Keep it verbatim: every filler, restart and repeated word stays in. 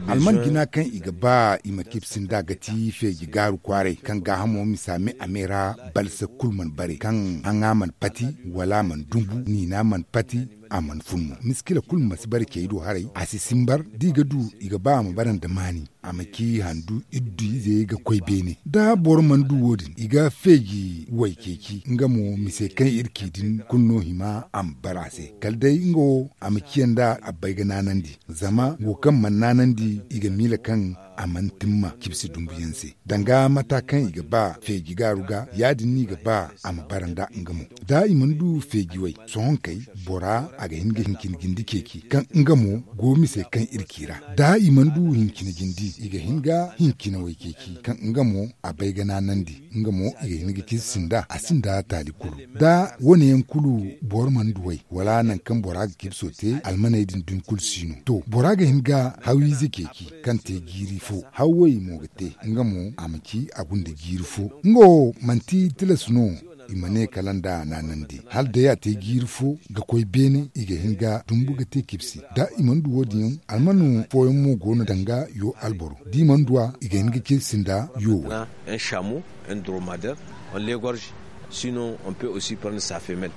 Alman jina kaŋ i ga ba i ma kibsi nd'a ga ti feeji gaaru kwaaray kaŋ gaahamo misa me a me ra balsa kulu mana bare kaŋ haŋa mana pati wala a mana dumbu niina mana pati. A mana fun mo miskila kulu ma si bare cey do haray a si simbar da i ga du i ga ba a ma bare nda maani. A ma ci handu iddu ize ga koy beene da boro mana du wo- din i ga feeji way ceeci nga mo mise kaŋ iri ci din kulu no hima a ma bare a se kala day nga wo a ma ciya nda a bay ga naanandi. Zama wo kaŋ mana naanandi i ga miila kaŋ a mana timma cibsi dumbu yaŋ se danga mata kaŋ i ga ba feeji gaaru ga ya- din no i ga ba a ma bara nda nga mo. Da i mana du feeji way sohonkey bora a ga hin ga hincina jindi ceeci kaŋ nga mo go mise kaŋ iri ci ra. Da i mana du hincina jindi i ga hin ga hincina way ceeci kaŋ nga mo a bay ga naanandi nga mo i ga hin ga cibsi nda a sinda taali kulu. Da wo- ne yaŋ kulu boro mana du way wala nangu kaŋ bora ga cibso te almaney din dumi kulu si no to bora ga hin ga hawiize ceeci kaŋ te jiiri fo hawwey mo ga te nga mo a ma ci a gunda jiiri fo. Nga wo manti tilas no i ma ne kala nda naanandi hala day a te jiiri fo ga koy beene i ga hin ga dumbu ga te cibsi da i mana du wo- din yaŋ almano fooyaŋ mo go no danga yo alboro da i mana du a i ga hin ga cibsi nda yo way. Un chameau, un dromadaire, on l'égorge, sinon on peut aussi prendre sa femelle.